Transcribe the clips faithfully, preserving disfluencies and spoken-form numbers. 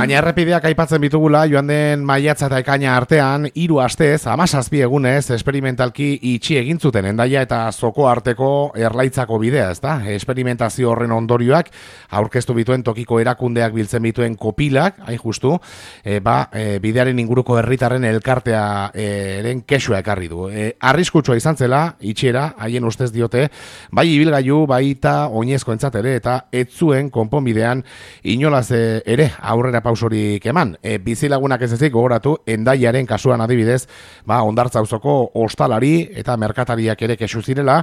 Baina errepideak aipatzen bitugula, joan den maiatza eta ekaina artean, hiru astez, hamazazpi egunez, esperimentalki itxi egin zuten Hendaia eta Zoko arteko Erlaitzako bidea, ezta? Esperimentazio horren ondorioak aurkeztu bituen tokiko erakundeak biltzen bituen kopilak, hain justu, e, ba, e, bidearen inguruko herritarren elkartea eren kexua ekarri du. E, arriskutsua izan zela, itxiera, haien ustez diote, bai ibilgailu, baita oinezko entzatere, eta ez zuen konponbidean inolaz ere aurrera pausorik eman. E, bizilagunak ez ezik gogoratu Hendaiaren kasuan adibidez, ba, Hondartza auzoko ostalari eta merkatariak ere kexu zirela,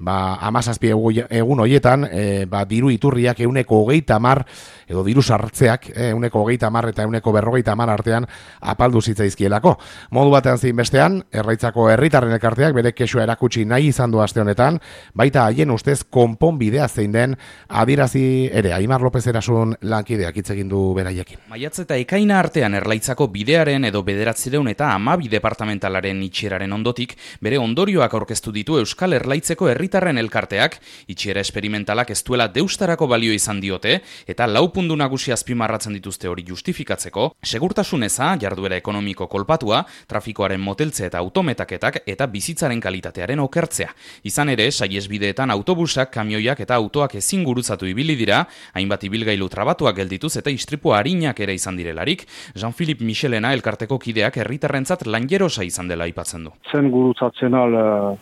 ba, hamazazpi egun hoietan, e, ba, diru iturriak euneko hogeita hamar, edo diru sartzeak, euneko hogeita hamar eta euneko berrogeita hamar artean apaldu zitzaizkielako. Modu batean zein bestean, Erlaitzako herritarren elkarteak bere kexua erakutsi nahi izan du aste honetan, baita haien ustez konponbidea zein den adirazi ere. Aimar López Erasun lankideak hitz egin du beraiekin. Maiatz eta ekaina artean Erlaitzako bidearen edo bederatziehun eta hamabi departamentalaren itxieraren ondotik, bere ondorioak aurkeztu ditu Euskal Erlaitzeko herritarren elkarteak, itxiera esperimentalak ez duela deustarako balio izan diote, eta lau puntu nagusi azpimarratzen dituzte hori justifikatzeko, segurtasun eza, jarduera ekonomiko kolpatua, trafikoaren moteltze eta autometaketak eta bizitzaren kalitatearen okertzea. Izan ere, saihesbideetan autobusak, kamioiak eta autoak ezin gurutzatu ibili dira, hainbat ibilgailu trabatuak geldituz eta istripu arinak ere izan direlarik, Jean-Philippe Michelena elkarteko kideak herritarrentzat langerosa izan dela aipatzen du. Zen gurutzatzen al uh,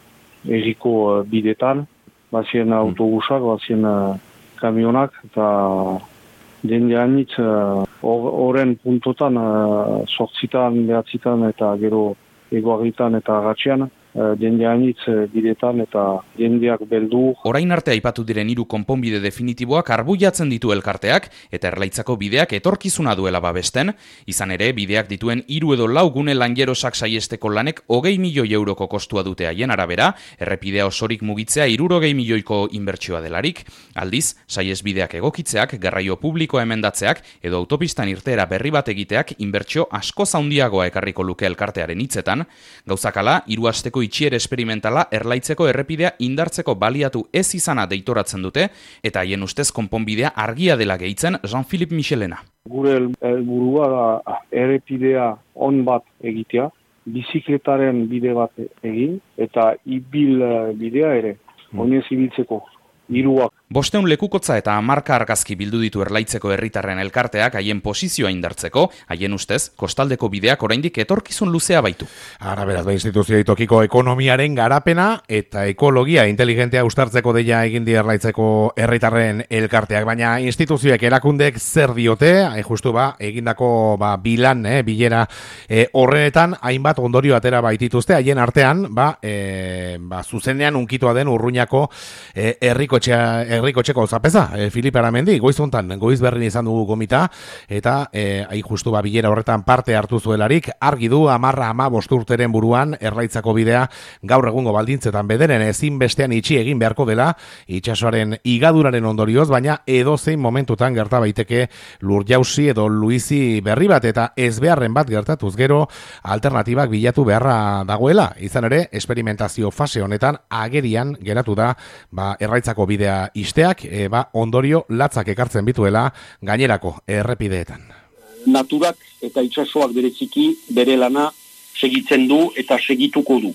erriko uh, bidetan, bazien autobusak, bazien uh, kamionak, eta jende hainitz horren uh, puntotan, uh, sortzitan, behatzitan eta gero egoagitan eta agatxean, uh, jende hainitz uh, bidetan eta jendeak beldu. Orain arte aipatu diren hiru konponbide definitiboak arbuiatzen ditu elkarteak eta Erlaitzako bideak etorkizuna duela babesten, izan ere bideak dituen hiru edo lau gune langerosak saiesteko lanek hogei milioi euroko kostua dute haien arabera, errepidea osorik mugitzea hirurogei milioiko inbertsioa delarik, aldiz, saiesbideak egokitzeak, garraio publikoa emendatzeak edo autopistan irteera berri bat egiteak inbertsio askoz handiagoa ekarriko luke elkartearen hitzetan, gauzakala, hiru asteko itxiera esperimentala Erlaitzeko errepidea indartzeko baliatu ez izana deitoratzen dute, eta haien ustez konponbidea argia dela gehitzen Jean-Philippe Michelena. Gure helburua da errepidea on bat egitea, bizikletaren bide bat egin, eta ibil bidea ere, oinez ibiltzeko, hiruak. Bosteun lekukotza eta hamarka argazki bildu ditu Erlaitzeko herritarren elkarteak haien posizioa indartzeko, haien ustez, kostaldeko bideak oraindik etorkizun luzea baitu. Ara beraz, ba, instituzioi tokiko ekonomiaren garapena eta ekologia inteligentea ustartzeko deia egin di Erlaitzeko herritarren elkarteak, baina instituzioek erakundek zer diote, hain justu ba, egindako ba, bilan, eh, bilera eh, horrenetan, hainbat ondorio atera baitituzte, haien artean, ba, eh, ba, zuzenean unkitua den Urruñako eh, herrikotxea Herrikotxeko zapeza, e, Filip Aramendi, goiz hontan, goiz berrin izan dugu gomita, eta e, hain justu ba, bilera horretan parte hartu zuelarik, argi du amarra ama bosturteren buruan, Erlaitzako bidea gaur egungo baldintzetan bederen ezin bestean itxi egin beharko dela, itxasoaren igaduraren ondorioz, baina edozein momentutan gerta baiteke lur jausi edo luizi berri bat, eta ez beharren bat gertatuz gero, alternatibak bilatu beharra dagoela, izan ere, esperimentazio fase honetan agerian geratu da, ba, Erlaitzako bidea isteak, e, ba, ondorio latzak ekartzen bituela gainerako errepideetan. Naturak eta itsasoak bereziki bere lana segitzen du eta segituko du.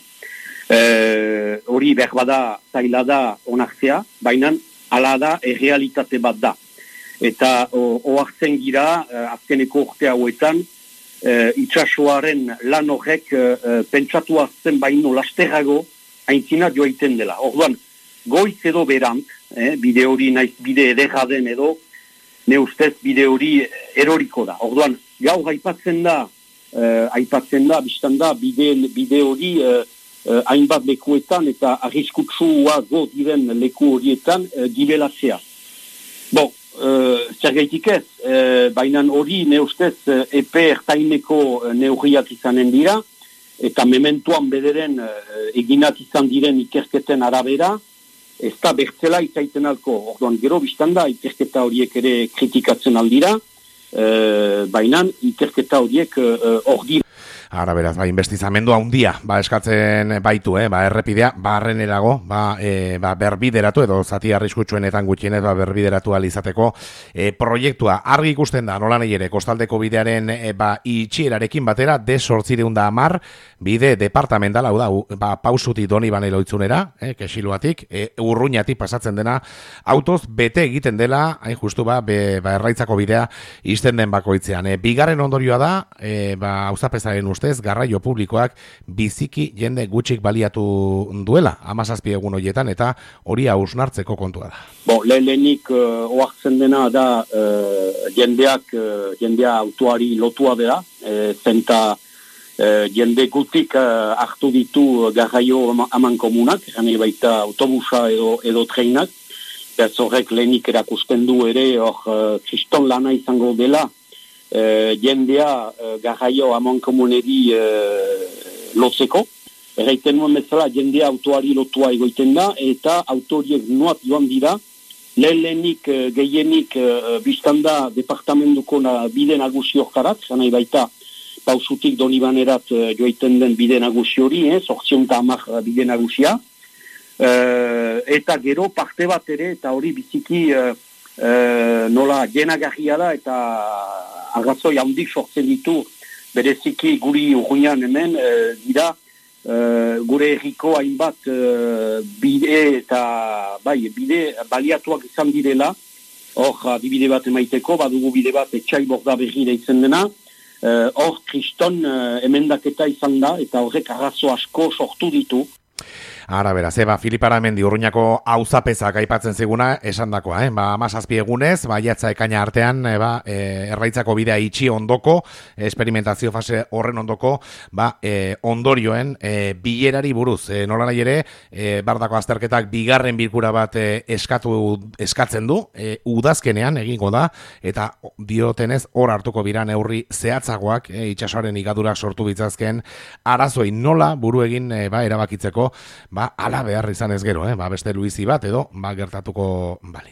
E, hori behar bada zaila da onartzea, baina hala da errealitate bat da. Eta ohartzen gira, azkeneko urte hauetan, e, itsasoaren lan horrek e, pentsatu azten baino lasterrago aintzina joaiten dela. Orduan, goiz edo berant, eh, bide hori naiz bide ederra den edo, ne ustez bide hori eroriko da. Orduan, gaur aipatzen da, eh, aipatzen da, biztan da, bide, bide hori eh, eh, hainbat lekuetan eta arriskutsua go diren leku horietan eh, gibelatzea. Bon, eh, zer gaitik ez, eh, baina hori ne ustez eh, epe ertaineko eh, neurriak izanen dira, eta mementuan bederen eh, eginat izan diren ikerketen arabera, ez da bertzela izaiten alko. Orduan, gero biztan da, ikerketa horiek ere kritikatzen aldira, e, baina ikerketa horiek hor e, dira. Ara beraz, ba, investizamendu handia, ba, eskatzen baitu, eh, ba, errepidea, barrenerago, ba, e, ba, berbideratu edo zati arriskutsuenetan gutxienez, ba, berbideratu alizateko e, proiektua. Argi ikusten da, nola nahi ere, kostaldeko bidearen e, ba, itxierarekin batera, de sortzireun da amar, bide departamental, hau da, u, ba, pausuti doni banelo itzunera, eh, kesiluatik, e, urruñatik pasatzen dena, autoz bete egiten dela, hain justu ba, be, ba, erraitzako bidea izten den bakoitzean. E, bigarren ondorioa da, e, ba, auzapezaren ustez, garraio publikoak biziki jende gutxik baliatu duela, hamazazpi egun horietan, eta hori hausnartzeko kontua da. Bo, lehenik uh, oartzen dena da uh, jendeak, uh, jendea autoari lotua dela, uh, zenta uh, jende gutik uh, hartu ditu garraio aman komunak, gane baita autobusa edo, edo treinak, ez horrek lehenik erakusten du ere, hor uh, kriston lana izango dela, Uh, jendea uh, garraio amon komuneri uh, lotzeko. Erraiten nuen bezala jendea autoari lotua egoiten da, eta autoriek nuat joan dira, lehenik uh, gehienik uh, biztanda departamentuko na bide nagusi horkarat, zanai baita pausutik donibanerat uh, joiten den bide nagusi hori, eh, sortzion eta amak bide nagusia, uh, eta gero parte bat ere, eta hori biziki uh, uh, nola jenagarria da, eta arrazoi handik sortzen ditu, bereziki guri urruinan hemen, e, dira, e, gure erriko hainbat e, bide eta, bai, bide baliatuak izan direla, hor, adibide bat emaiteko, badugu bide bat etxai borda berri da izan dena, hor, e, kriston e, emendaketa izan da, eta horrek arrazo asko sortu ditu. Ara, beraz, eba, Filipara Mendi urruñako auzapezak aipatzen ziguna esandakoa, eh? Ba, amazazpi egunez, ba, jatza ekaina artean, eba, e, erraitzako bidea itxi ondoko, esperimentazio fase horren ondoko, ba, e, ondorioen e, bilerari buruz. E, nola nahi ere, e, bardako azterketak bigarren bilkura bat e, eskatu, eskatzen du, e, udazkenean egingo da, eta diotenez hor hartuko bira neurri zehatzagoak, e, itxasoaren igadura sortu bitzazken, arazoi nola buru egin e, ba, erabakitzeko, ba, ala behar izan ez gero, eh? Ba, beste Luizi bat edo, ba, gertatuko bali.